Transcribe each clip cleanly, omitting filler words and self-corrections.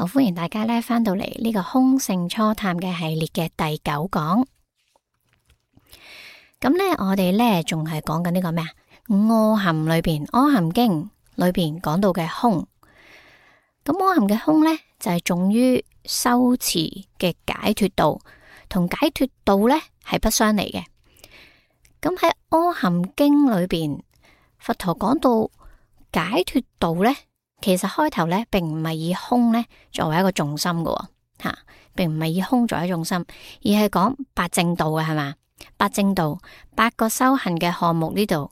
好，歡迎大家咧翻到嚟呢個空性初探嘅系列嘅第9講。咁咧，我哋咧仲係講緊呢個咩啊？阿含裏邊，阿含經裏邊講到嘅空。咁阿含嘅空咧，就係重於修持嘅解脫道，同解脫道咧係不相離嘅。咁喺阿含經裏邊，佛陀講到解脫道咧。其實開頭咧，並唔係以空咧作為一個重心嘅吓，並唔係以空作為重心，而係講八正道嘅係嘛？八正道8個修行嘅項目呢度，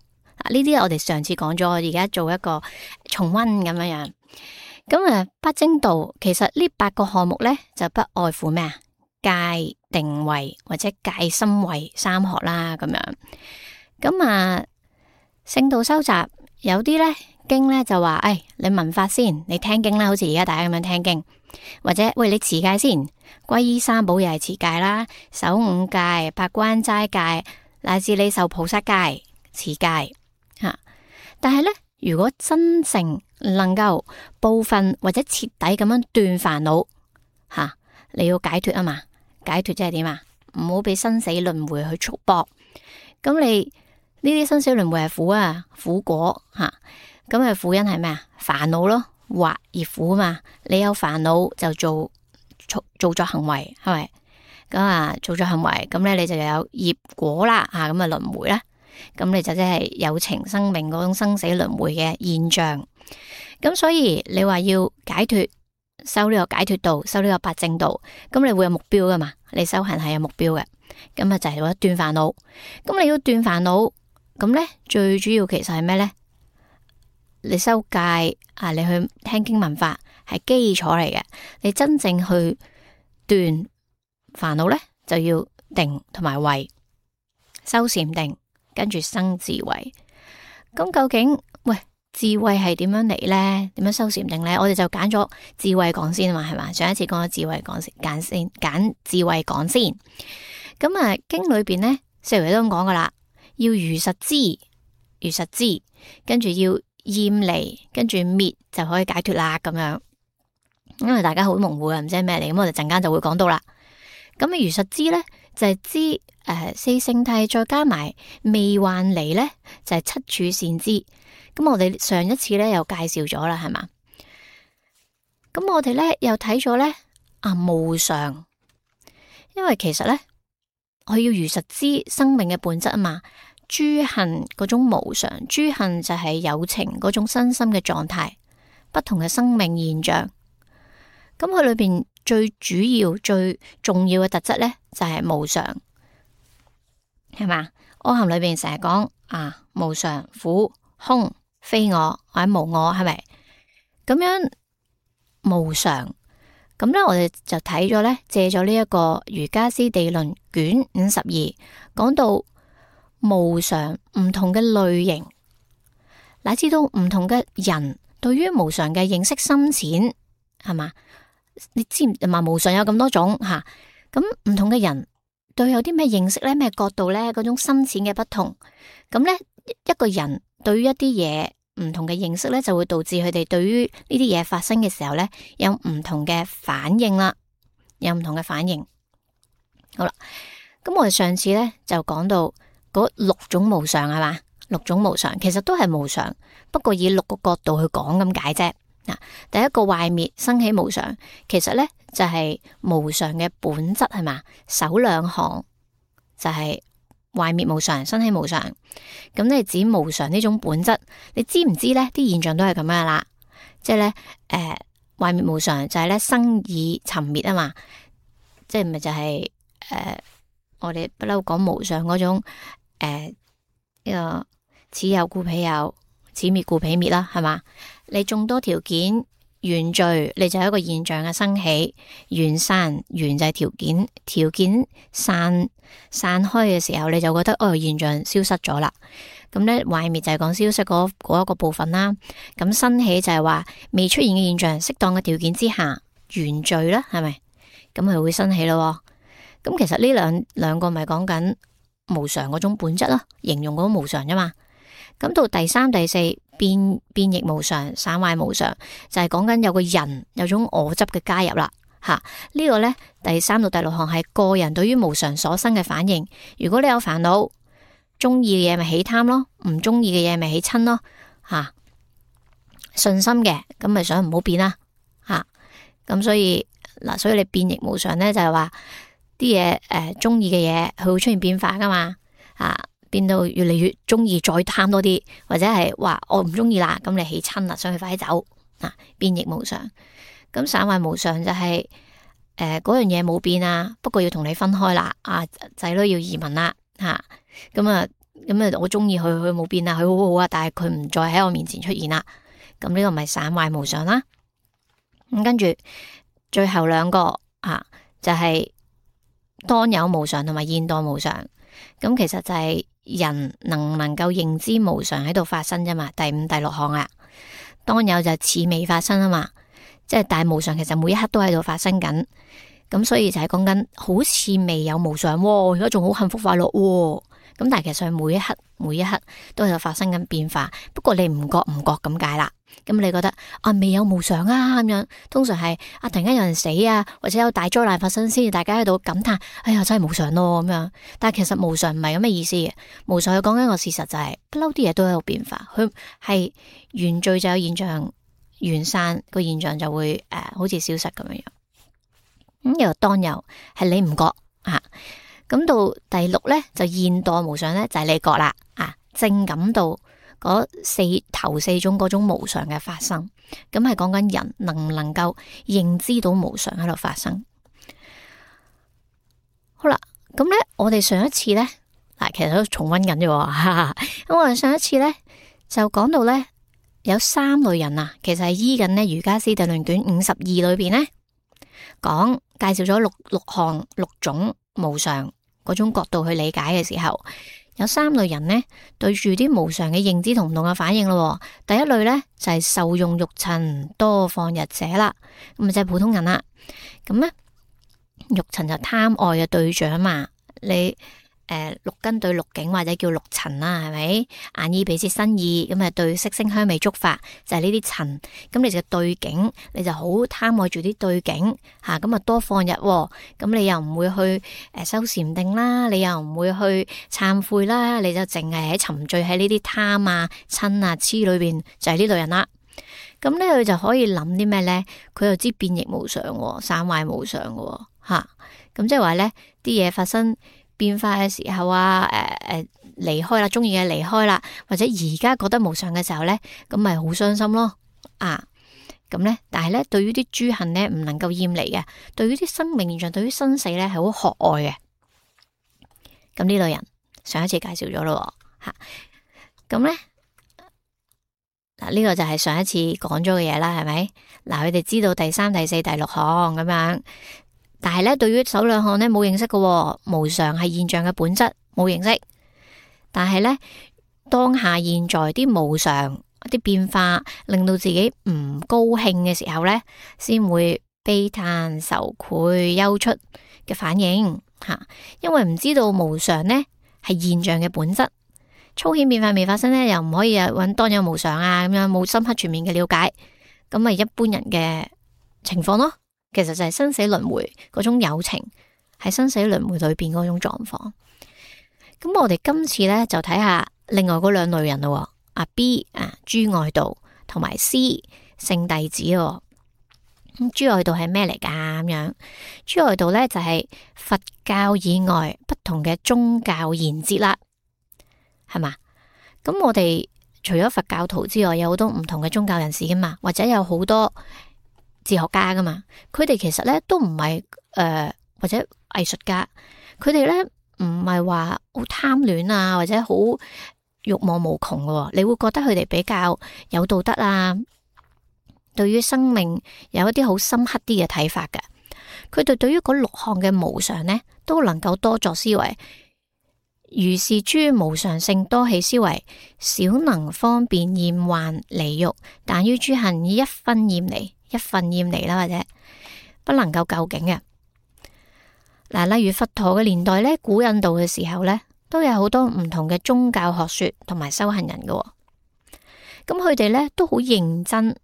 呢啲我哋上次講咗，我而家做一個重溫咁樣樣。咁啊，八正道其實呢8個項目咧，就不外乎咩啊？戒、定、慧或者戒、心、慧3學啦，咁樣。咁啊，聖道收集有啲咧。經咧就話，你聞法先，你聽經啦，好似而家大家咁樣聽經，或者喂你持戒先，皈依三寶又係持戒啦，守5戒、八關齋戒，乃至你受菩薩戒持戒吓。但係咧，如果真正能夠部分或者徹底咁樣斷煩惱吓，你要解脫啊嘛，解脫即係點啊？唔好俾生死輪迴去束縛。咁你呢啲生死輪迴係苦啊，苦果吓。咁嘅苦因係咩啊？煩惱咯，惑而苦嘛。你有煩惱就做作行為，係咪？咁啊，做作行為，咁咧你就有業果啦，咁啊輪迴啦。咁你就即係有情生命嗰種生死輪迴嘅現象。咁所以你話要解脫，修呢個解脫道，修呢個八正道，咁你會有目標噶嘛？你修行係有目標嘅。咁啊就係為咗斷煩惱。咁你要斷煩惱，咁咧最主要其實係咩咧？你修戒啊，你去聽經聞法係基礎嚟嘅。你真正去斷煩惱咧，就要定同埋慧，修禪定，跟住生智慧。咁究竟智慧係點樣嚟咧？點樣修禪定咧？我哋就揀咗智慧講先啊嘛，係嘛？上一次講咗智慧講先，揀智慧講先。咁啊，經裏邊咧，四圍都咁講噶啦，要如實知，跟住要厭離，跟住滅就可以解脫啦，咁樣。因為大家好模糊啊，唔知係咩嚟，咁我哋陣間就會講到啦。咁如實知咧，就係知四聖諦再加埋未幻離咧，就係七處善知。咁我哋上一次咧又介紹咗啦，係嘛？咁我哋咧又睇咗咧無常，因為其實咧我要如實知生命嘅本質啊嘛。諸行嗰種無常，諸行就係有情嗰種身心嘅狀態，不同嘅生命現象。咁佢裏邊最主要、最重要嘅特質咧，就係無常，係嘛？阿含裏邊成日講無常、苦、空、非我或者無我，係咪？咁樣無常，咁咧我哋就睇咗咧，借咗呢一個瑜伽師地論卷52，講到無常唔同嘅類型，乃至到唔同嘅人對於無常嘅認識深淺，係嘛？你知唔知無常有咁多種吓？咁唔同嘅人對有啲咩認識咧？咩角度咧？嗰種深淺嘅不同，咁咧一個人對於一啲嘢唔同嘅認識咧，就會導致佢哋對於呢啲嘢發生嘅時候咧，有唔同嘅反應啦，有唔同嘅反應。好啦，咁我哋上次咧就講到嗰6種無常，係嘛？6種無常其實都係無常，不過以6個角度去講咁解啫。第一個壞滅生起無常，其實咧就係無常嘅本質，係嘛？首2行就係壞滅無常，生起無常。咁你指無常呢種本質，你知唔知咧？啲現象都係咁樣啦，即係咧壞滅無常就係咧生已沉滅啊嘛，即係咪就係我哋不嬲講無常嗰種呢個此有故彼有，此滅故彼滅啦，係嘛？你眾多條件緣聚，你就有一個現象嘅生起；緣散，緣就係條件散開嘅時候，你就覺得現象消失咗啦。咁咧壞滅就係講消失嗰一個部分啦。咁生起就係話未出現嘅現象，適當嘅條件之下緣聚啦，係咪？咁佢會生起咯。咁其實呢兩個咪講緊無常嗰種本質咯，形容嗰種無常啫嘛。咁到第3、第4變易無常、散壞無常，就係講緊有個人有種我執嘅加入啦。呢個呢，第3到第6項係個人對於無常所生嘅反應。如果你有煩惱，中意嘅嘢咪起貪咯，唔中意嘅嘢咪起嗔咯。順心嘅咁咪想唔好變啦。咁所以你變易無常呢，就係話啲嘢中意嘅嘢佢會出現變化噶嘛。變到越嚟越中意，再貪多啲，或者係話我唔中意啦，咁你起嗔啦，想去快啲走。變易無常。咁散壞無常就係嗰樣嘢冇變啊，不過要同你分開啦。仔女要移民啦。咁我中意佢冇變啊，佢好好啊，但係佢唔再喺我面前出現啦。咁呢個咪散壞無常啦。咁跟住最後2個就係當有無常同埋現當無常。咁其實就係人能唔能夠認知無常喺度發生啫嘛。第5、第6項啦。當有就似未發生啊嘛，即係但係無常其實每一刻都喺度發生緊。咁所以就係講緊好似未有無常，而家仲好幸福快樂。咁但係其實每一刻都喺度發生緊變化，不過你唔覺咁解啦。咁你覺得未有無常啊咁樣，通常係突然間有人死啊，或者有大災難發生先，大家喺度感嘆，哎呀真係無常咯咁樣。但係其實無常唔係咁嘅意思嘅，無常佢講緊個事實就係不嬲啲嘢都喺度變化，佢係緣聚就有現象，緣散個現象就會好似消失咁樣。咁又當有係你唔覺咁到第6呢，就現當無常呢，就係你覺啦正感到嗰頭四種嗰種無常嘅發生。咁係講緊人能唔能夠認知到無常喺度發生。好啦，咁呢，我哋上一次呢，其實都重溫緊啫。咁我哋上一次呢，就講到呢，有3類人其實係依緊呢《瑜伽師地論卷52》裏邊呢，介紹咗六種無常嗰種角度去理解嘅時候，有3類人呢，對住啲無常嘅認知同唔同嘅反應咯。第一類呢，就係受用欲塵多放逸者啦，咁就係普通人啦。咁呢，欲塵就貪愛嘅對象嘛，你六根對六境或者叫六塵啦，係咪？眼耳鼻舌身意咁對色聲香味觸法就係呢啲塵。咁你就對境，你就好貪愛住啲對境咁多放逸。咁你又唔會去修禪定啦，你又唔會去懺悔啦，你就淨係喺沉醉喺呢啲貪嗔痴裏邊，就係呢類人啦。咁呢，佢就可以諗啲咩呢？佢又知變易無常，散壞無常嘅咁即係話呢啲嘢發生變化嘅時候離開啦，中意嘅離開啦，或者而家覺得無常嘅時候呢，咁咪好傷心咯。咁呢，但係呢，對於啲諸行呢，唔能夠厭離嘅，對於啲生命現象，對於生死呢，係好渴愛嘅。咁呢類人上一次介紹咗咯。咁呢，呢個就係上一次講咗嘅嘢啦，係咪？佢哋知道第3、第4、第6項咁樣。但係咧，對於首2項咧冇認識嘅，無常係現象嘅本質，冇認識。但係咧，當下現在啲無常、啲變化，令到自己唔高興嘅時候咧，先會悲嘆、愁愧、憂出嘅反應因為唔知道無常呢係現象嘅本質，粗顯變化未發生呢，又唔可以揾當有無常咁樣，冇深刻全面嘅了解，咁咪一般人嘅情況咯。其實就係生死輪迴嗰種有情，喺生死輪迴裏邊嗰種狀況。咁我哋今次呢，就睇下另外嗰2類人咯。B 諸外道同埋 C 聖弟子。咁諸外道係咩嚟噶？咁樣諸外道呢，就係佛教以外不同嘅宗教言節啦，係嘛？咁我哋除咗佛教徒之外，有好多唔同嘅宗教人士噶嘛，或者有好多哲學家噶嘛，佢哋其實咧都唔係或者藝術家，佢哋咧唔係話好貪戀或者好欲望無窮嘅。你會覺得佢哋比較有道德對於生命有一啲好深刻啲嘅睇法嘅。佢哋對於嗰6項嘅無常呢，都能夠多作思維。如是諸無常性多起思維，少能方便厭患離欲，但於諸行以一分厭離啦，或者不能夠究竟嘅。例如佛陀嘅年代呢，古印度嘅時候呢，都有好多唔同嘅宗教學說同埋修行人嘅。咁佢哋咧都好認真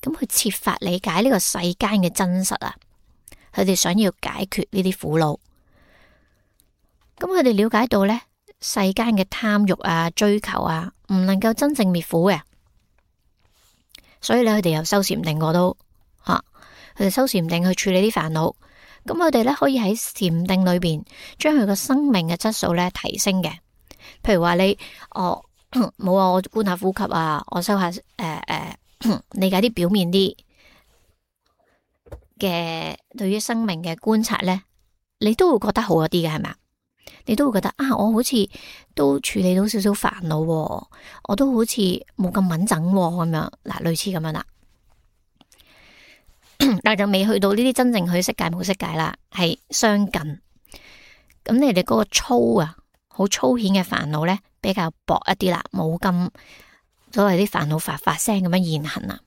咁去設法理解呢個世間嘅真實啊。佢哋想要解決呢啲苦惱。咁佢哋了解到咧，世間嘅貪欲啊、追求啊，唔能夠真正滅苦嘅。所以咧，佢哋又修禪定過都佢哋修禪定去處理啲煩惱。咁佢哋咧可以喺禪定裏邊將佢個生命嘅質素咧提升嘅。譬如話你冇啊，我觀下呼吸啊，我修下理解啲表面啲嘅對於生命嘅觀察咧，你都會覺得好一啲嘅，係咪？你都會覺得啊，我好似都處理到少少煩惱，我都好似冇咁穩陣咁樣，嗱，類似咁樣啦。但係就未去到呢啲真正去色界冇色界啦，係相近。咁你哋嗰個粗啊，好粗顯嘅煩惱咧，比較薄一啲啦，冇咁所謂啲煩惱發聲咁樣現行啊。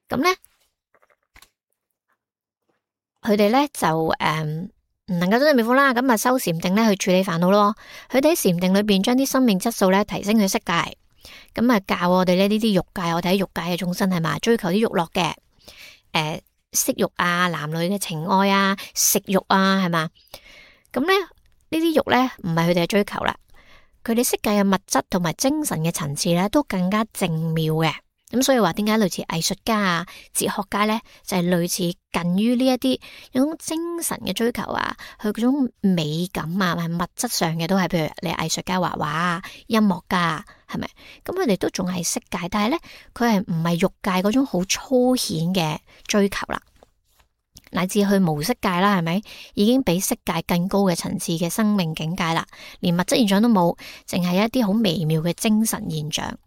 咁咧，佢哋咧就唔能夠真正滅苦啦，咁啊修禪定咧去處理煩惱咯。佢哋喺禪定裏邊將啲生命質素咧提升去色界，咁啊教我哋咧呢啲欲界，我哋喺欲界嘅眾生係嘛，追求啲欲樂嘅，色欲啊，男女嘅情愛啊，食欲啊，係嘛。咁咧呢啲欲咧唔係佢哋嘅追求啦，佢哋色界嘅物質同埋精神嘅層次咧都更加精妙嘅。咁所以話點解類似藝術家啊、哲學家咧，就係類似近於呢一啲有種精神嘅追求啊，佢嗰種美感啊，係物質上嘅都係，譬如你藝術家畫畫啊、音樂家啊，係咪？咁佢哋都仲係色界，但係咧佢係唔係欲界嗰種好粗顯嘅追求啦，乃至去無色界啦，係咪？已經比色界更高嘅層次嘅生命境界啦，連物質現象都冇，淨係一啲好微妙嘅精神現象。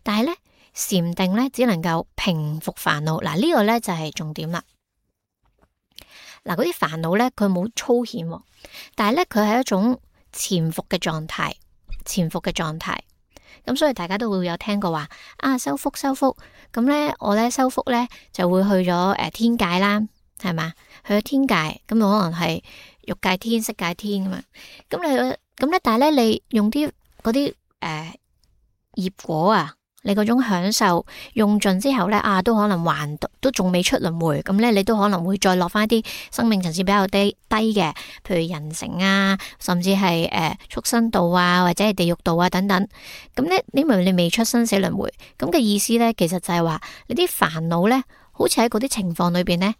但係咧，禪定咧只能夠平復煩惱，嗱呢個咧就係重點啦。嗱，嗰啲煩惱咧佢冇粗顯，但係咧佢係一種潛伏嘅狀態，潛伏嘅狀態。咁所以大家都會有聽過話啊，修福，咁咧我咧修福咧就會去咗天界啦，係嘛？去咗天界，咁可能係欲界天、色界天咁啊。咁咧，但係咧你用啲嗰啲業果啊。你嗰種享受用盡之後咧，都可能還都仲未出輪迴，咁咧你都可能會再落翻啲生命層次比較低嘅，譬如人成啊，甚至係畜生道啊，或者係地獄道啊等等。咁咧，因為你未出生死輪迴，咁嘅意思咧，其實就係話你啲煩惱咧，好似喺嗰啲情況裏邊咧，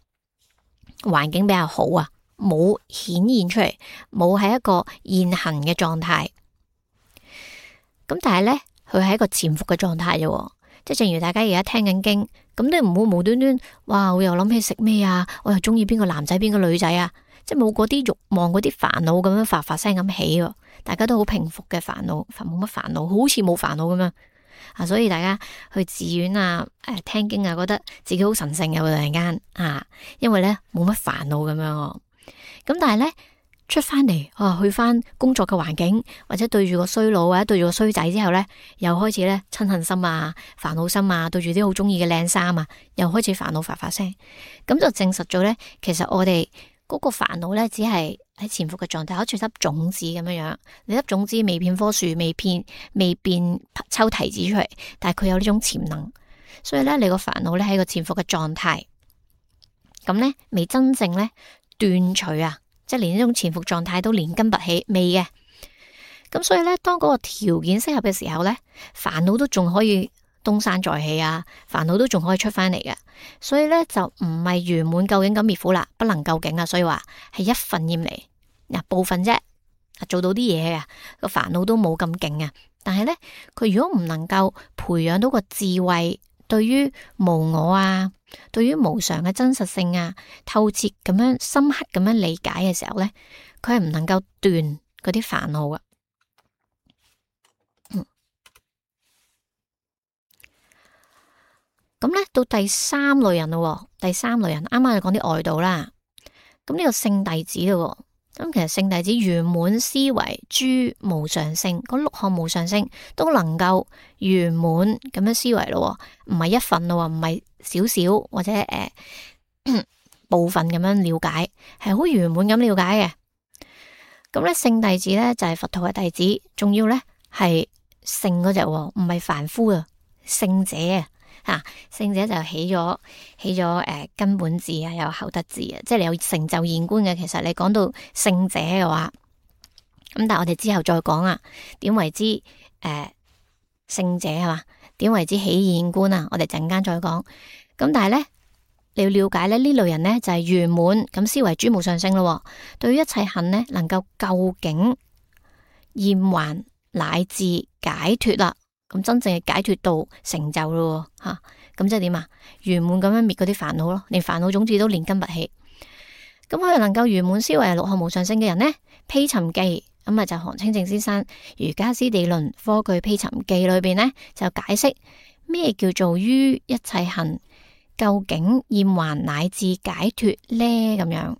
環境比較好啊，冇顯現出嚟，冇喺一個現行嘅狀態。咁但係咧。佢係一個潛伏嘅狀態啫，即係正如大家而家聽緊經，咁你唔好無端端，哇！我又諗起食咩啊，我又中意邊個男仔邊個女仔啊，即係冇嗰啲慾望嗰啲煩惱咁樣發聲咁起，大家都好平復嘅煩惱，冇乜煩惱，好似冇煩惱咁樣啊！所以大家去寺院啊，聽經啊，覺得自己好神聖嘅，突然間啊，因為咧冇乜煩惱咁樣，咁但係咧。出翻嚟，去翻工作嘅環境，或者對住個衰佬或者對住個衰仔之後咧，又開始咧嗔恨心啊、煩惱心啊，對住啲好中意嘅靚衫啊，又開始煩惱發聲，咁就證實咗咧，其實我哋嗰個煩惱咧，只係喺潛伏嘅狀態，好似粒種子咁樣樣，你粒種子未變棵樹，未變抽提子出嚟，但係佢有呢種潛能，所以咧你個煩惱咧喺個潛伏嘅狀態，咁咧未真正咧斷除啊。即係連呢種潛伏狀態都連根拔起未嘅，咁所以咧，當嗰個條件適合嘅時候咧，煩惱都仲可以東山再起啊，煩惱都仲可以出翻嚟嘅，所以咧就唔係圓滿究竟咁滅苦啦，不能究竟啊，所以話係一份厭離嗱部分啫，做到啲嘢啊，個煩惱都冇咁勁啊，但係咧佢如果唔能夠培養到個智慧，對於無我啊，對於無常嘅真實性啊，透徹咁樣深刻咁樣理解嘅時候咧，佢係唔能夠斷嗰啲煩惱噶。咁咧到第三類人咯，第三類人啱啱就講啲外道啦。咁呢個聖弟子咯，咁其實聖弟子圓滿思維諸無常性，嗰六項無常性都能夠圓滿咁樣思維咯，唔係一份咯，唔係少少或者部分咁樣了解，係好圓滿咁了解嘅。咁咧聖弟子咧就係佛陀嘅弟子，仲要咧係聖嗰隻，唔係凡夫啊，聖者啊。聖者就起咗根本智啊，有後得智啊，即係你有成就現觀嘅。其實你講到聖者嘅話，咁但係我哋之後再講啊，點為之聖者係嘛？點為之起現觀啊？我哋陣間再講。咁但係咧，你要了解咧呢類人咧就係圓滿咁思維諸無上聖咯。對於一切行咧，能夠究竟厭患乃至解脫啦。咁真正嘅解脫道成就咯，咁即係點啊？圓滿咁樣滅嗰啲煩惱咯，連煩惱種子都連根拔起。咁佢能夠圓滿思維六項無上聖嘅人呢，披尋記咁啊就韓清淨先生《瑜伽師地論科句披尋記》裏邊呢，就解釋咩叫做於一切行究竟厭患乃至解脫呢？咁樣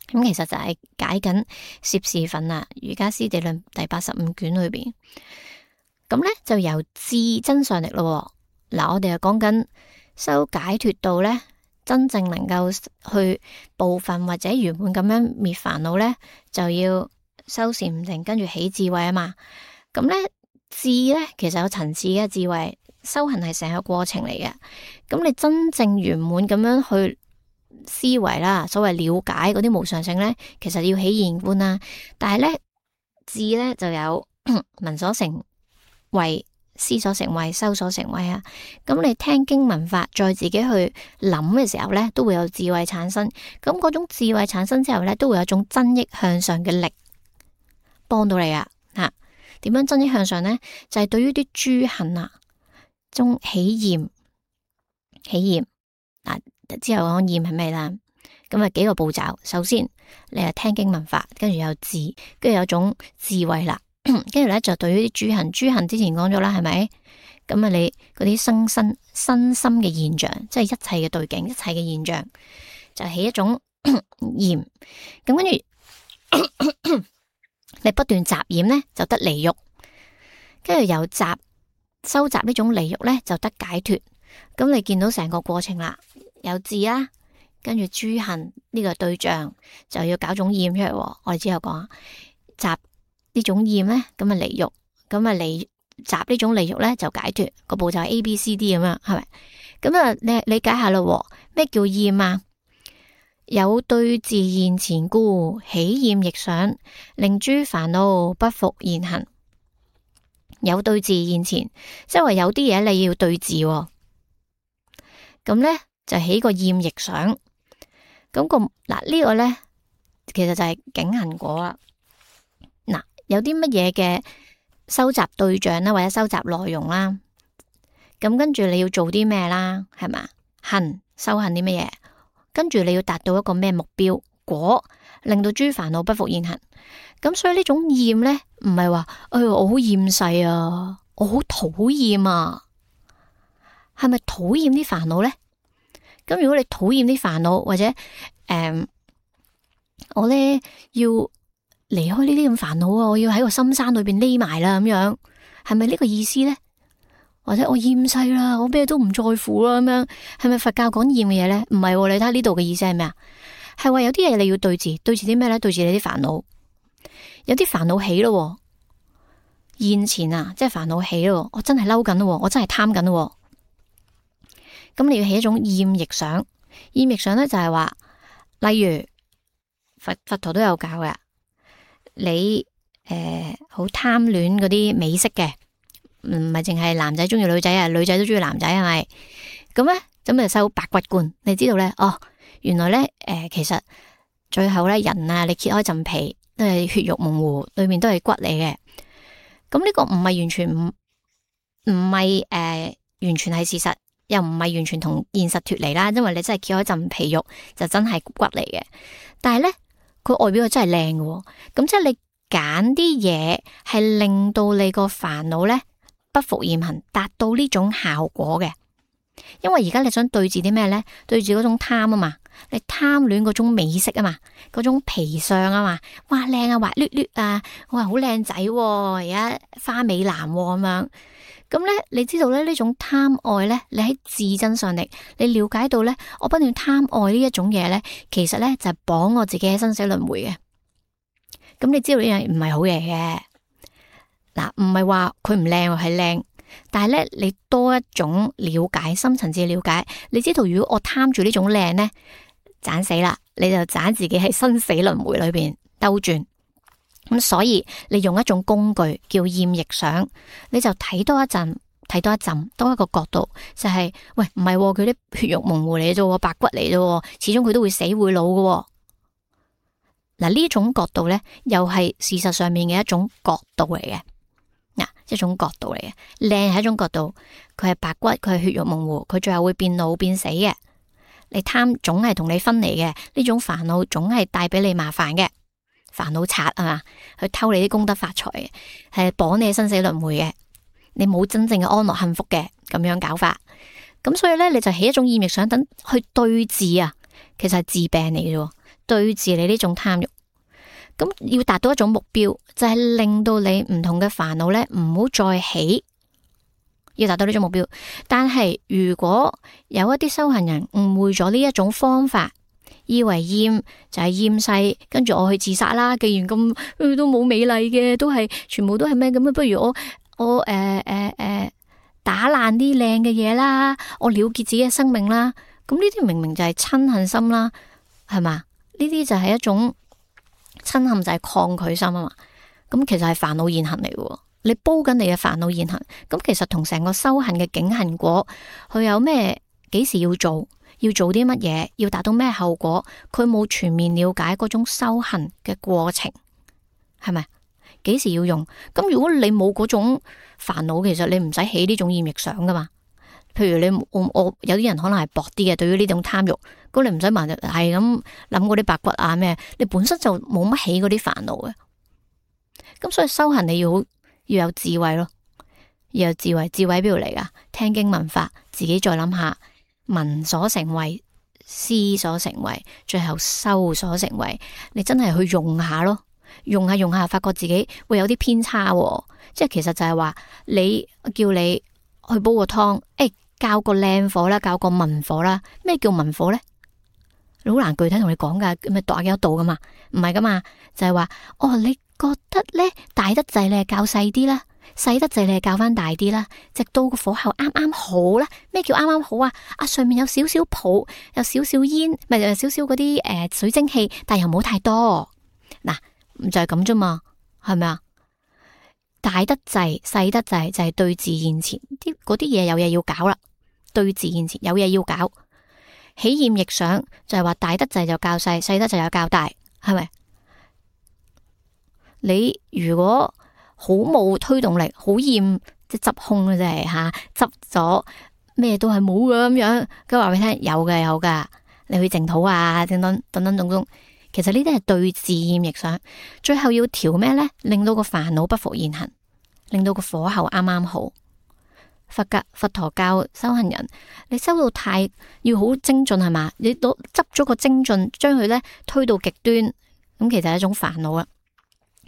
咁其實就係解緊攝事分啊，《瑜伽師地論》第85卷裏邊。咁咧就由智真相力咯。嗱，我哋又講緊修解脫道咧，真正能夠去部分或者圓滿咁樣滅煩惱咧，就要修禪定，跟住起智慧啊嘛。咁咧智咧其實有層次嘅智慧，修行係成個過程嚟嘅。咁你真正圓滿咁樣去思維啦，所謂了解嗰啲無上性咧，其實要起現觀啦。但係咧智咧就有聞所成為思所成為修所成為啊。咁你聽經聞法再自己去諗嘅時候咧，都會有智慧產生。咁嗰種智慧產生之後咧，都會有一種增益向上嘅力幫到你啊。點樣增益向上咧？就係對於啲諸行啊中起厭嗱，之後講厭係咩啦？咁啊幾個步驟，首先你係聽經聞法，跟住有智，跟住有種智慧啦。跟住咧就對於啲諸行之前講咗啦，係咪？咁啊，你嗰啲身心嘅現象，即係一切嘅對境，一切嘅現象，就起一種厭。咁跟住你不斷集染咧，就得離欲。跟住由收集呢種離欲咧，就得解脫。咁你見到成個過程啦，有智啦，跟住諸行呢個對象就要搞種厭出嚟。我哋之後講集。呢種厭咧，咁啊離欲，咁啊離集呢種離欲咧就解脫。個步驟係 ABCD 咁樣，係咪？咁啊，你理解下咯。咩叫厭啊？有對治現前故，起厭亦想，令諸煩惱不復現行。有對治現前，即係話有啲嘢你要對治，咁咧就起個厭亦想。咁呢個咧，其實就係境行果啦。有啲乜嘢嘅收集對象啦，或者收集內容啦，咁跟住你要做啲咩啦，係嘛？修行啲乜嘢？跟住你要達到一個咩目標果，令到諸煩惱不復現行。咁所以呢種厭咧，唔係話我好厭世啊，我好討厭啊，係咪討厭啲煩惱咧？咁如果你討厭啲煩惱，或者我咧要離開呢啲咁煩惱啊，我要喺個深山裏邊匿埋啦，咁樣係咪呢個意思咧？或者我厭世啦，我咩都唔在乎啦，咁樣係咪佛教講厭嘅嘢咧？唔係，你睇下呢度嘅意思係咩啊？係話有啲嘢你要對治啲咩咧？對治你啲煩惱，有啲煩惱起咯，現前啊，即係煩惱起咯，我真係嬲緊咯，我真係貪緊咯，咁你要起一種厭亦想。厭亦想咧就係話，例如佛陀都有教嘅。你好貪戀嗰啲美色嘅，唔係淨係男仔中意女仔啊，女仔都中意男仔係咪？咁咧咁就修白骨觀，你知道咧？原來咧其實最後咧人啊，你揭開陣皮都係血肉模糊，裏面都係骨嚟嘅。咁呢個唔係完全唔係完全係事實，又唔係完全同現實脫離啦。因為你真係揭開陣皮肉，就真係骨嚟嘅。但係咧。佢外表係真係靚嘅，咁即係你揀啲嘢係令到你個煩惱咧不復現行，達到呢種效果嘅。因為而家你想對治啲咩咧？對治嗰種貪啊嘛，你貪戀嗰種美色啊嘛，嗰種皮相啊嘛，哇靚啊滑捋捋啊，哇好靚仔，而家花美男咁樣。咁咧，你知道咧呢種貪愛咧，你喺自真上力，你了解到咧，我不斷貪愛呢一種嘢咧，其實咧就係綁我自己喺生死輪迴嘅。咁你知道呢樣唔係好嘢嘅。嗱，唔係話佢唔靚係靚，但係咧你多一種了解，深層次了解，你知道如果我貪住呢種靚咧，盞死啦，你就盞自己喺生死輪迴裏邊兜轉。咁所以你用一種工具叫厭逆想，你就睇多一陣，多一個角度，就係喂，唔係佢啲血肉模糊嚟啫，白骨嚟啫，始終佢都會死會老嘅。嗱，呢種角度咧，又係事實上面嘅一種角度嚟嘅。嗱，一種角度嚟嘅，靚係一種角度，佢係白骨，佢係血肉模糊，佢最後會變老變死嘅。你貪總係同你分離嘅，呢種煩惱總係帶俾你麻煩嘅。煩惱賊係嘛，去偷你啲功德發財嘅，係綁你生死輪迴嘅，你冇真正嘅安樂幸福嘅，咁樣搞法。咁所以咧，你就起一種厭逆想，等去對治啊，其實係治病嚟嘅，對治你呢種貪欲。咁要達到一種目標，就係令到你唔同嘅煩惱咧唔好再起，要達到呢種目標。但係如果有一啲修行人誤會咗呢一種方法，以為厭就係厭世，跟住我去自殺啦。既然咁都冇美麗嘅，都係全部都係咩咁啊？不如我打爛啲靚嘅嘢啦，我了結自己嘅生命啦。咁呢啲明明就係嗔恨心啦，係嘛？呢啲就係一種嗔恨，就係抗拒心啊嘛。咁其實係煩惱現行嚟嘅，你煲緊你嘅煩惱現行。咁其實同成個修行嘅境行果，佢有咩幾時要做？要做啲乜嘢，要達到咩後果，佢冇全面了解嗰種修行嘅過程，係咪？幾時要用？咁如果你冇嗰種煩惱，其實你唔使起呢種厭逆想噶嘛。譬如你我有啲人可能係薄啲嘅，對於呢種貪欲，咁你唔使問，係咁諗嗰啲白骨啊咩，你本身就冇乜起嗰啲煩惱嘅。咁所以修行你要有智慧咯，要有智慧。智慧邊度嚟噶？聽經聞法，自己再諗下。聞所成為，思所成為，最後修所成為。你真係去用下咯，用下，發覺自己會有啲偏差喎。即係其實就係話，你叫你去煲個湯，教個靚火啦，教個文火啦。咩叫文火呢？你好難具體同你講噶，咪度下幾多度噶嘛？唔係噶嘛，就係話，你覺得呢大得滯，你係較細啲啦。細得滯你係較翻大啲啦，直到個火候啱啱好啦。咩叫啱啱好啊？上面有少少泡，有少少煙，咪有少少嗰啲水蒸氣，但又冇太多。嗱，就係咁啫嘛，係咪啊？大得滯，細得滯就係對治現前嗰啲嘢，有嘢要搞啦。對治現前有嘢要搞，起厭逆想就係話大得滯就較細，細得滯就較大，係咪？你如果好冇推動力，好厭即係執空嘅啫吓，執咗咩都係冇嘅咁樣。佢話俾你聽，有噶，你去淨土啊，等等種，其實呢啲係對治厭逆想。最後要調咩呢？令到個煩惱不復現行，令到個火候啱啱好。佛陀教修行人，你修到太要好精進係嘛？你都執咗個精進，將佢呢推到極端，咁其實係一種煩惱啊。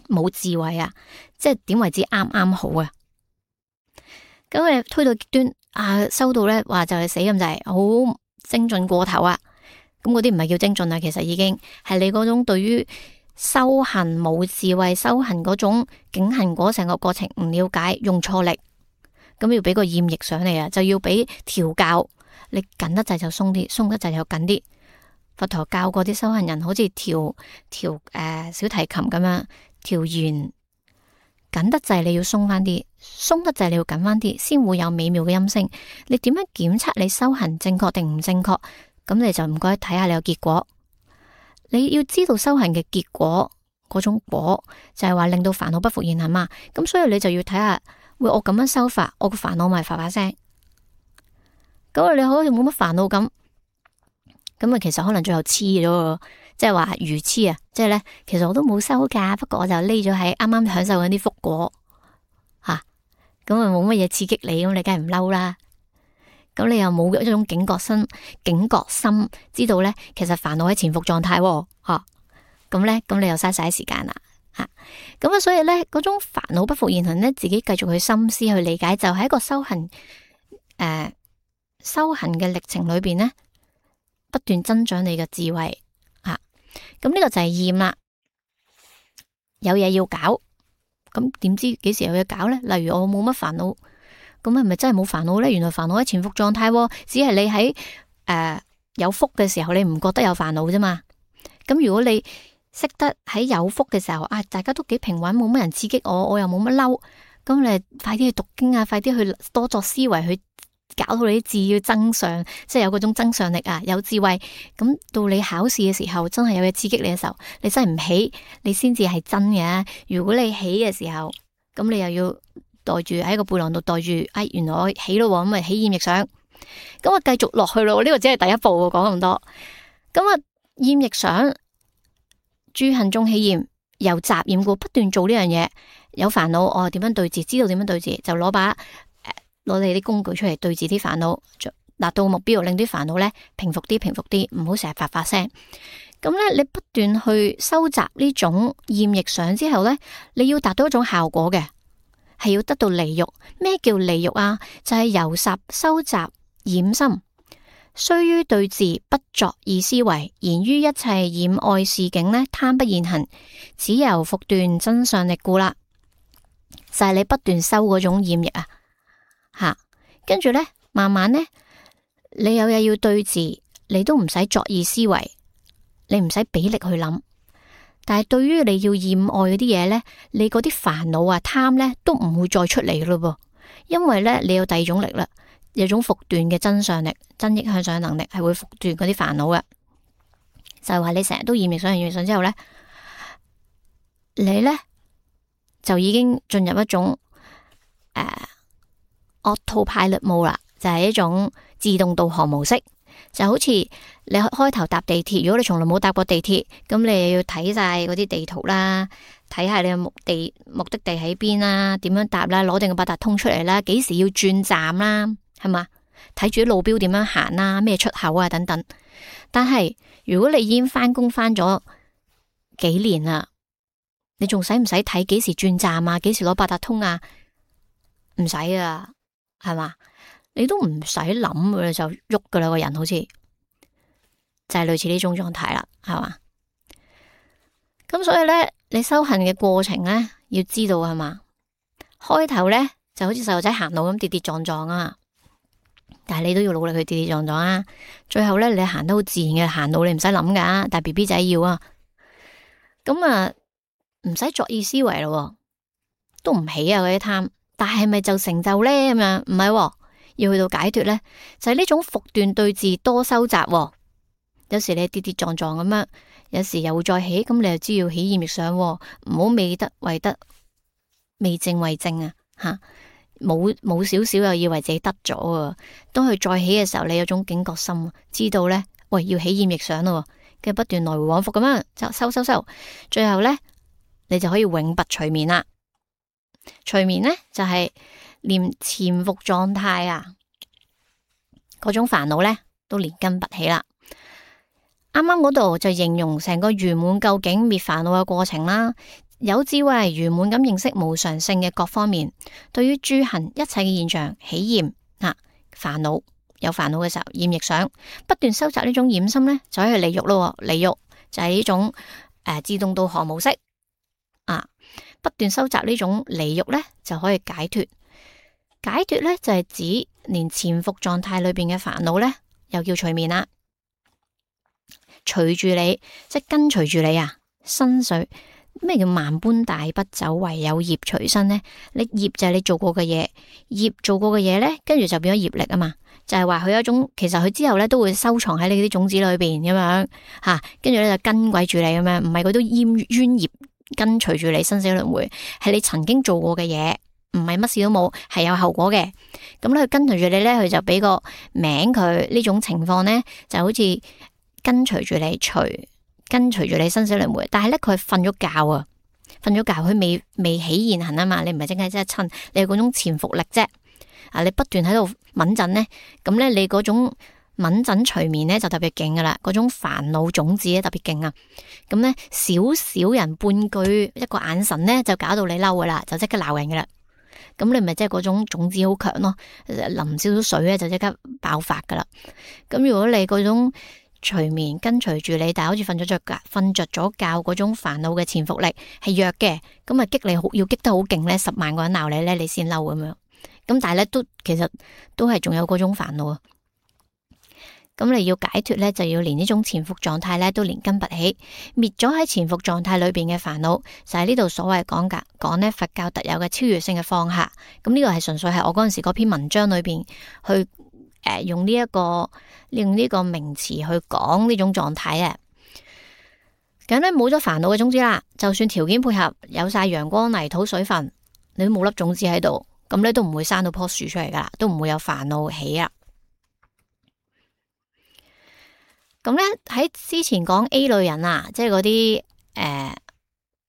冇智慧啊，即係點為之啱啱好啊？咁你推到極端啊，收到咧話就係死咁，就係好精進過頭啊！咁嗰啲唔係叫精進啊，其實已經係你嗰種對於修行冇智慧，修行嗰種境行果成個過程唔了解，用錯力，咁要俾個厭逆上嚟啊，就要俾調教，你緊得滯就鬆啲，鬆得滯就緊啲。佛陀教過啲修行人，好似調小提琴咁樣。調弦緊得滯，你要鬆翻啲；鬆得滯，你要緊翻啲，先會有美妙嘅音聲。你點樣檢測你修行正確定唔正確？咁你就唔該睇下你個結果。你要知道修行嘅結果，嗰種果就係話令到煩惱不復現行嘛。咁所以你就要睇下，喂，我咁樣修法，我個煩惱咪發聲。咁你好似冇乜煩惱咁啊，其實可能最後黐咗。即係話愚痴啊！即係咧，其實我都冇收噶，不過我就匿咗喺啱啱享受緊啲福果吓，咁啊冇乜嘢刺激你，咁你梗係唔嬲啦。咁你又冇一種警覺心，知道咧，其實煩惱喺潛伏狀態吓，咁咧，咁你又嘥晒時間啦吓。咁啊，所以咧，嗰種煩惱不復現行咧，自己繼續去深思去理解，就喺一個修行嘅歷程裏邊咧，不斷增長你嘅智慧。咁呢個就係厭啦。有嘢要搞，咁點知幾時有嘢搞呢？例如我冇乜煩惱，咁係咪真係冇煩惱呢？原來煩惱喺潛伏狀態，只係你喺有福嘅時候，你唔覺得有煩惱啫嘛。咁如果你識得喺有福嘅時候啊，大家都幾平穩，冇乜人刺激我，我又冇乜嬲，咁你快啲去讀經啊，快啲去多作思維，去搞到你啲字要增上，即係有嗰種增上力啊，有智慧。咁到你考試嘅時候，真係有嘢刺激你嘅時候，你真係唔起，你先至係真嘅。如果你起嘅時候，咁你又要袋住喺個背囊度袋住，原來我起咯，咁咪起厭逆想，咁啊繼續落去咯。呢個只係第一步，講咁多。咁啊厭逆想，諸行中起厭，由雜染故不斷做呢樣嘢，有煩惱我點樣對治，知道點樣對治，就攞你啲工具出嚟對治啲煩惱，達到目標，令啲煩惱咧平復啲，唔好成日發聲。咁咧，你不斷去收集呢種厭逆想之後咧，你要達到一種效果嘅，係要得到離欲。咩叫離欲啊？就係由雜收集染心，須於對治，不作意思維，言於一切染愛事境呢，貪不現行，只由復斷真相力故啦。就係你不斷收嗰種厭逆啊！跟住呢，慢慢呢，你有嘢要對治，你都唔使作意思維，你唔使俾力去諗。但係對於你要厭愛嗰啲嘢呢，你嗰啲煩惱啊、貪呢，都唔會再出嚟咯噃，因為呢，你有第二種力啦，有種復斷嘅真相力、真益向上能力，係會復斷嗰啲煩惱嘅。就係話你成日都厭逆想之後呢，你呢，就已經進入一種Autopilot mode 啦，就係一種自動導航模式，就好似你開頭搭地鐵，如果你從來冇搭過地鐵，咁你又要睇晒嗰啲地圖啦，睇下你嘅目的地喺邊啦，點樣搭啦，攞定個八達通出嚟啦，幾時要轉站啦，係嘛？睇住啲路標點樣行啦，咩出口啊等等。但係如果你已經翻工翻咗幾年啦，你仲使唔使睇幾時轉站啊？幾時攞八達通啊？唔使啊！係嘛？你都唔使諗嘅就喐噶啦，個人好似就係類似呢種狀態啦，係嘛？咁所以咧，你修行嘅過程咧，要知道係嘛？開頭咧就好似細路仔行路咁跌跌撞撞啊，但係你都要努力去跌跌撞撞啊。最後咧，你行得好自然嘅行路，你唔使諗噶，但係 BB 仔要啊。咁啊，唔使作意思維咯，都唔起啊嗰啲貪。但係咪就成就呢？咁樣唔係，要去到解脫呢，就係呢種復斷對治多收集。有時你跌跌撞撞咁樣，有時又會再起，咁你就知要起厭逆想，唔好未得為得，未正為正啊！吓，冇少少又以為自己得咗啊！當佢再起嘅時候，你有種警覺心，知道呢，喂，要起厭逆想咯，跟住不斷來回往復咁樣就收，最後呢，你就可以永拔隨眠啦。隨眠呢，就係連潛伏狀態啊，嗰種煩惱呢，都連根拔起啦。啱啱嗰度就形容成個圓滿究竟滅煩惱嘅過程啦。有智慧圓滿咁認識無常性嘅各方面，對於諸行一切嘅現象起厭煩惱，有煩惱嘅時候厭逆想，不斷收集呢種染心呢，就可以離欲咯。離欲就係呢種自動導航模式啊。不斷收集呢種離欲呢，就可以解脫。解脫呢，就係指連潛伏狀態裏邊嘅煩惱呢，又叫隨眠啦。隨住你，即係跟隨住你啊。身水咩叫萬般帶不走，唯有業隨身呢？你業就係你做過嘅嘢，業做過嘅嘢呢，跟住就變咗業力啊嘛。就係話佢有一種，其實佢之後呢都會收藏喺你啲種子裏邊咁樣吓，跟住呢就跟鬼住你咁樣，唔係嗰啲冤業。跟隨住你生死輪迴，係你曾經做過嘅嘢，唔係乜事都冇，係有後果嘅。咁咧，佢跟隨住你咧，佢就俾個名佢。呢種情況咧，就好似跟隨住你，跟隨住你生死輪迴。但係咧，佢瞓咗覺啊，瞓咗覺，佢未起現行啊嘛。你唔係淨係即係趁，你有嗰種潛伏力啫。啊，你不斷喺度敏陣咧，咁咧你嗰種敏陣隨眠咧就特別勁噶啦，嗰種煩惱種子咧特別勁啊！咁咧少少人半句一個眼神咧就搞到你嬲噶啦，就即刻鬧人噶啦。咁你咪即係嗰種種子好強咯，淋少少水咧就即刻爆發噶啦。咁如果你嗰種隨眠跟隨住你，但係好似瞓着咗覺嗰種煩惱嘅潛伏力係弱嘅，咁啊激你要激得好勁咧，10萬個人鬧你咧，你先嬲咁樣。咁但係咧其實都係仲有嗰種煩惱啊。咁你要解脫咧，就要連呢種潛伏狀態咧都連根拔起，滅咗喺潛伏狀態裏邊嘅煩惱，就係呢度所謂講咧佛教特有嘅超越性嘅放下。咁呢個係純粹係我嗰陣時嗰篇文章裏邊去用呢個名詞去講呢種狀態啊。咁咧冇咗煩惱嘅種子啦，就算條件配合，有晒陽光、泥土、水分，你都冇粒種子喺度，咁咧都唔會生到棵樹出嚟噶啦，都唔會有煩惱起啊。咁咧喺之前講 A 類人啊，即係嗰啲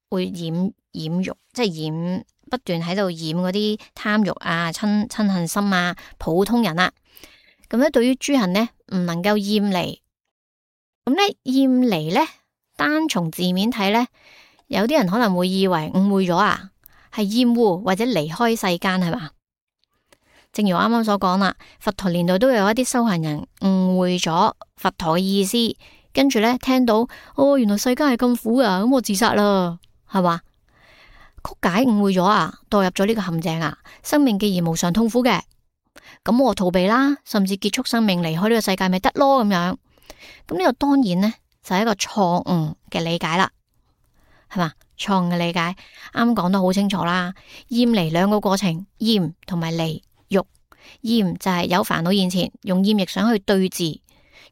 會染欲，即係不斷喺度染嗰啲貪欲啊、嗔恨心啊，普通人啊。咁咧對於諸行呢，唔能夠厭離。咁咧厭離咧，單從字面睇咧，有啲人可能會以為誤會咗啊，係厭惡或者離開世間係嘛？正如我啱啱所講啦，佛陀年代都有一啲修行人誤會咗佛陀嘅意思，跟住咧聽到原來世間係咁苦啊，咁我自殺啦，係嘛？曲解誤會咗啊，墮入咗呢個陷阱啊！生命既然無常痛苦嘅，咁我逃避啦，甚至結束生命離開呢個世界咪得咯咁樣。咁呢個當然呢，就係一個錯誤嘅理解啦，係嘛？錯誤嘅理解，啱講得好清楚啦。厭離兩個過程，厭同埋離。厭就係有煩惱現前，用厭亦想去對治，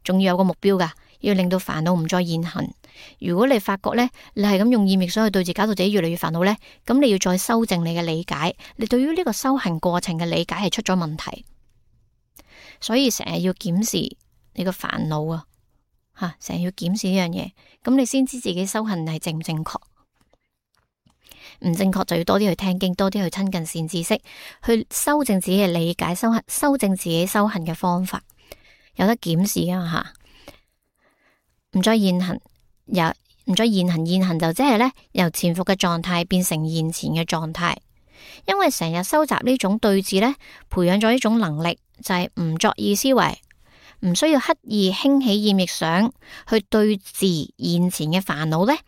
仲要有個目標噶，要令到煩惱唔再現行。如果你發覺咧，你係咁用厭亦想去對治，搞到自己越嚟越煩惱咧，咁你要再修正你嘅理解，你對於呢個修行過程嘅理解係出咗問題，所以成日要檢視你個煩惱啊，成日要檢視呢樣嘢，咁你先知自己修行係正唔正確。唔正確就要多啲去聽經，多啲去親近善知識，去修正自己嘅理解，修正自己修行嘅方法，有得檢視啊吓，唔再現行，唔再現行就即係咧由潛伏嘅狀態變成現前嘅狀態，因為成日收集呢種對治咧，培養咗呢種能力，就係唔作意思維，唔需要刻意興起厭亦想去對治現前嘅煩惱咧。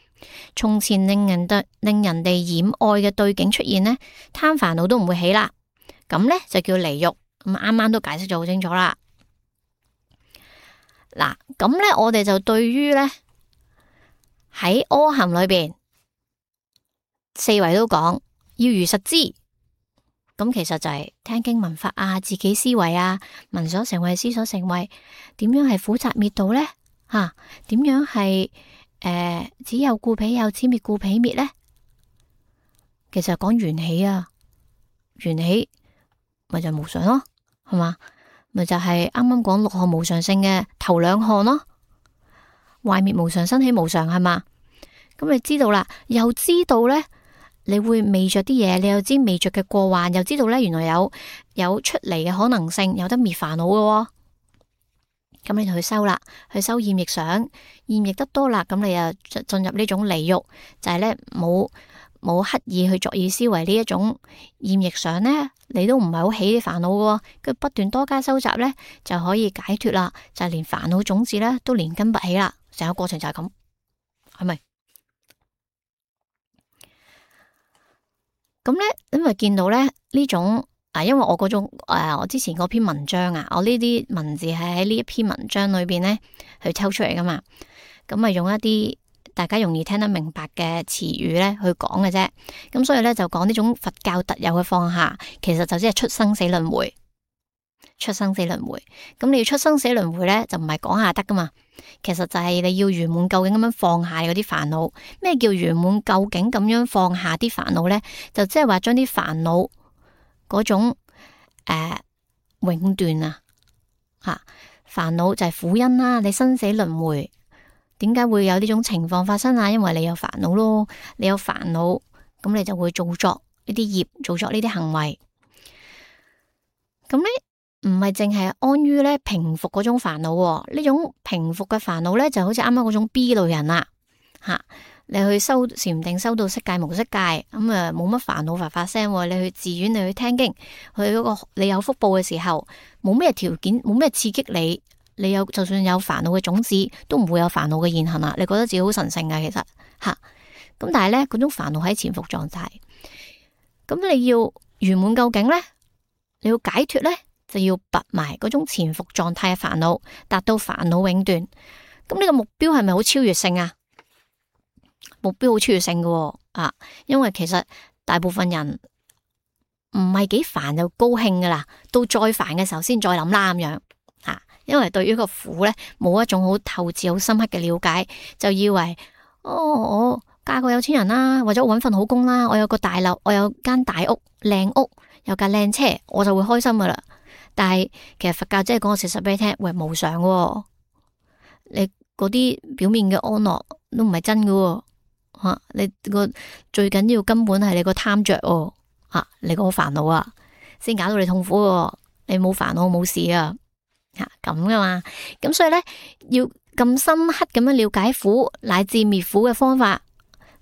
從前令人哋染愛嘅對境出現呢，貪煩惱都唔會起啦，咁呢就叫離欲。咁啱啱都解釋咗好清楚啦。嗱，咁呢我哋就對於呢喺阿含裏邊四維都講要如實知，咁其實就係聽經聞法啊，自己思維啊，聞所成慧，思所成慧，點樣係苦集滅道呢？點樣係？只有故彼有，此滅故彼滅呢？其實講緣起啊，緣起咪就無常咯，係嘛？咪就係啱啱講六項無常性嘅頭兩項咯，壞滅無常，生起無常，係嘛？咁你知道啦，又知道呢，你會未着啲嘢，你又知未着嘅過患，又知道呢，原來有出嚟嘅可能性，有得滅煩惱嘅。咁你就去修啦，去修厭亦想，厭亦得多啦，咁你又進入呢種離欲，就係咧冇刻意去作意思維呢一種厭亦想咧，你都唔係好起啲煩惱嘅，佢不斷多加收集咧，就可以解脫啦，就係連煩惱種子咧都連根拔起啦，成個過程就係咁，係咪？咁咧，因為見到咧呢種。因為我嗰種我之前嗰篇文章啊，我呢啲文字係喺呢一篇文章裏邊咧去抽出嚟噶嘛，咁啊用一啲大家容易聽得明白嘅詞語咧去講嘅啫，咁所以咧就講呢種佛教特有嘅放下，其實就只係出生死輪迴，出生死輪迴，咁你要出生死輪迴咧就唔係講下得噶嘛，其實就係你要圓滿究竟咁樣放下嗰啲煩惱。咩叫圓滿究竟咁樣放下啲煩惱咧？就即係話將啲煩惱嗰種永斷啊，煩惱就係苦因啦。你生死輪迴，點解會有呢種情況發生啊？因為你有煩惱咯，你有煩惱，咁你就會造作呢啲業，造作呢啲行為。咁呢唔係淨係安於咧平復嗰種煩惱，呢種平復嘅煩惱咧就好似啱啱嗰種 B 類人啦，你去修禪定修到色界無色界，咁啊冇乜煩惱發聲。你去寺院，你去聽經，去嗰個你有福報嘅時候，冇咩條件，冇咩刺激你你就算有煩惱嘅種子，都唔會有煩惱嘅現行啦。你覺得自己好神聖啊，其實吓。咁但係咧，嗰種煩惱喺潛伏狀態。咁你要圓滿究竟咧，你要解脫咧，就要拔埋嗰種潛伏狀態嘅煩惱，達到煩惱永斷。咁呢個目標係咪好超越性啊？目標好超越性嘅啊，因為其實大部分人唔係幾煩就高興噶啦，到再煩嘅時候先再諗啦咁樣啊。因為對於個苦咧冇一種好透徹、好深刻嘅了解，就以為我嫁個有錢人啦，或者我搵份好工啦，我有個大樓，我有間大屋、靚屋，有架靚車，我就會開心噶啦。但係其實佛教即係講個事實俾你聽，喂，無常喎，你嗰啲表面嘅安樂都唔係真噶吓，你個最緊要根本係你個貪着吓，你個煩惱啊，先搞到你痛苦喎。你冇煩惱冇事啊吓，咁噶嘛。咁所以咧，要咁深刻咁樣了解苦乃至滅苦嘅方法，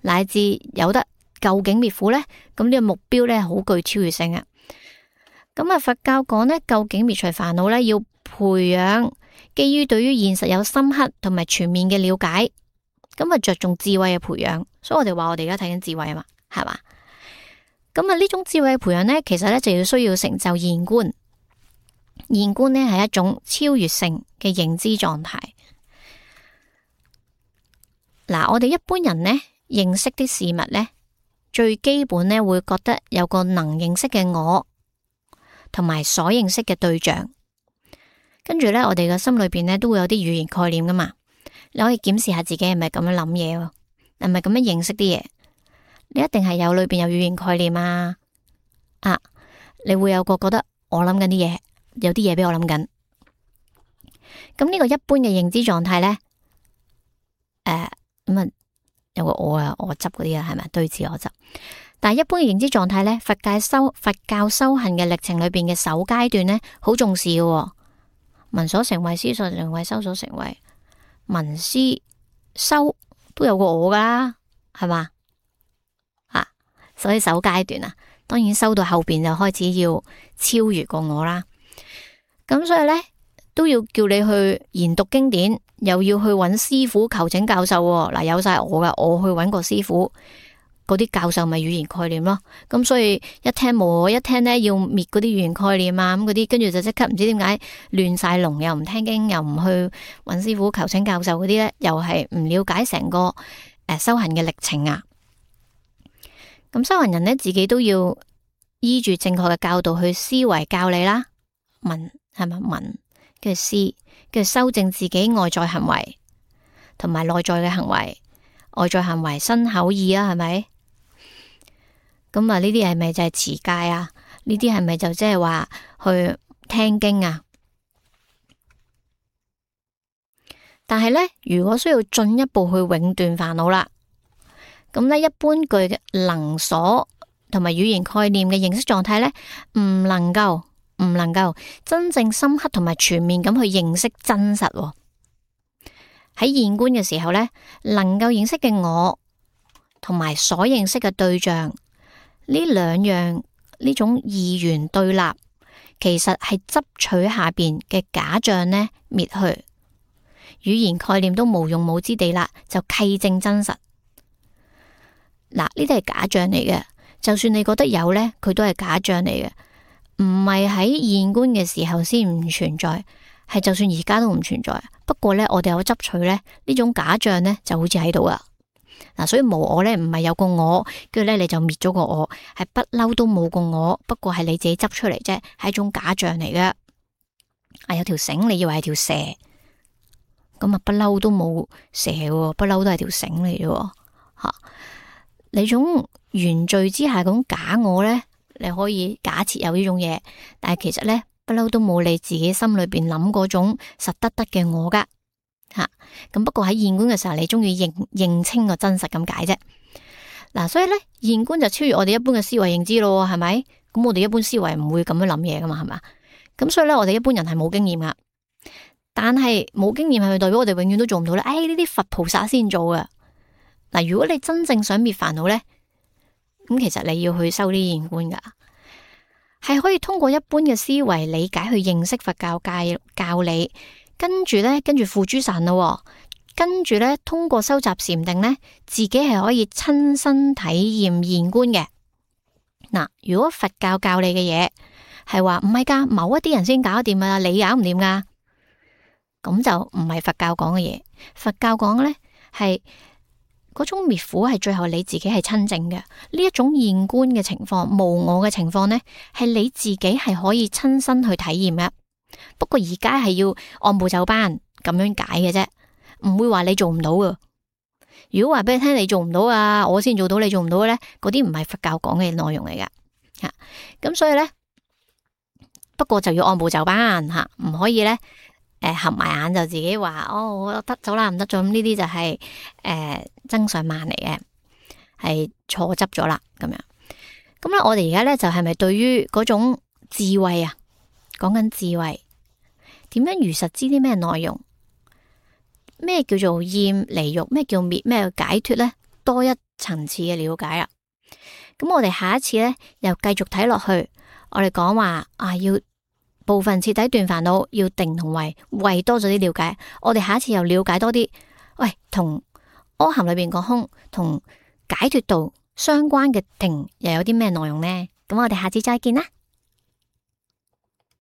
乃至有得究竟滅苦咧，咁呢個目標咧好具超越性啊。咁啊，佛教講咧，究竟滅除煩惱咧，要培養基於對於現實有深刻同埋全面嘅了解，咁啊着重智慧嘅培養。所以我哋話我哋而家睇緊智慧啊嘛，係嘛？咁啊呢種智慧嘅培養咧，其實咧就要需要成就現觀。現觀咧係一種超越性嘅認知狀態。嗱，我哋一般人咧認識啲事物咧，最基本咧會覺得有個能認識嘅我，同埋所認識嘅對象。跟住咧，我哋嘅心裏邊咧都會有啲語言概念噶嘛。你可以檢視下自己係咪咁樣諗嘢，係咪咁樣認識啲嘢？你一定係有裏邊有語言概念啊！你會有個覺得我諗緊啲嘢，有啲嘢俾我諗緊。咁呢個一般嘅認知狀態咧，咁啊有個我啊，我執嗰啲啊，係咪對治我執？但係一般嘅認知狀態咧，佛教修行嘅歷程裏邊嘅首階段咧，好重視嘅。聞所成慧，思所成慧，修所成慧。聞思修都有個我噶啦，係嘛？所以首階段啊，當然修到後邊就開始要超越個我啦。咁所以咧都要叫你去研讀經典，又要去揾師傅求請教授。嗱，有晒我噶，我去揾個師傅，嗰啲教授咪語言概念咯。咁所以一聽冇我，一聽咧要滅嗰啲語言概念啊，咁嗰啲跟住就即刻唔知點解亂晒龍，又唔聽經，又唔去揾師傅求請教授嗰啲咧，又係唔了解成個修行嘅歷程啊。咁修行人咧自己都要依住正確嘅教導去思維教理啦，聞係咪聞跟住思，跟住修正自己外在行為同埋內在嘅行為，外在行為身口意啊，係咪？咁啊呢啲係咪就係持戒啊？呢啲係咪就即係話去聽經啊？但係咧，如果需要進一步去永斷煩惱啦，咁咧一般具嘅能所同埋語言概念嘅認識狀態咧，唔能夠真正深刻同埋全面咁去認識真實。喺現觀嘅時候咧，能夠認識嘅我同埋所認識嘅對象，呢兩樣呢種二元對立，其實係執取下邊嘅假象呢滅去，語言概念都無用武之地啦，就契證真實。嗱，呢啲係假象嚟嘅，就算你覺得有呢，佢都係假象嚟嘅，唔係喺現觀嘅時候先唔存在，係就算而家都唔存在。不過呢，我哋有執取呢，呢種假象呢就好似喺度啊。嗱，所以無我呢唔係有個我，跟住呢你就滅咗個我，係不嬲都冇個我，不過係你自己執出嚟啫，係一種假象嚟嘅。有條繩，你以為係條蛇，咁啊不嬲都冇蛇，不嬲都係條繩嚟嘅吓。你種原罪之下嗰種假我呢，你可以假設有呢種嘢，但係其實呢，不嬲都冇你自己心裏邊諗嗰種實得嘅我噶吓。咁不過喺現觀嘅時候，你中意認清個真實咁解啫。嗱，所以呢，現觀就超越我哋一般嘅思維認知咯，係咪？咁我哋一般思維唔會咁樣諗嘢噶嘛，係嘛？咁所以呢，我哋一般人係冇經驗噶。但係冇經驗係咪代表我哋永遠都做唔到呢？呢啲佛菩薩先做噶。嗱，如果你真正想滅煩惱呢，咁其實你要去修啲現觀噶，係可以通過一般嘅思維理解去認識佛教教理，跟住付諸實行咯。跟住咧，通過收集禪定咧，自己係可以親身體驗現觀嘅。嗱，如果佛教教你嘅嘢係話唔係噶，某一啲人先搞得掂啊，你搞唔掂噶，咁就唔係佛教講嘅嘢。佛教講嘅咧係嗰種滅苦係最後你自己係親證嘅。呢一種現觀嘅情況，無我嘅情況咧，係你自己係可以親身去體驗嘅。不過而家係要按部就班咁樣解嘅啫。唔會話你做唔到噶。如果話俾你聽你做唔到啊，我先做到，你做唔到嘅咧，嗰啲唔係佛教講嘅內容嚟噶吓。咁所以咧，不過就要按部就班吓，唔可以咧合埋眼就自己話我得咗啦，唔得咗。咁呢啲就係增上慢嚟嘅，係錯執咗啦咁樣。咁咧，我哋而家咧就係咪對於嗰種智慧啊，講緊智慧，點樣如實知啲咩內容？咩叫做厭離欲？咩叫滅？咩叫解脫呢？多一層次嘅了解啦。咁我哋下一次呢，又繼續睇落去。我哋講話要部分徹底斷煩惱，要定同慧多咗啲了解。我哋下一次又了解多啲。喂，同阿含裏邊講空同解脫道相關嘅定又有啲咩內容呢？咁我哋下次再見啦。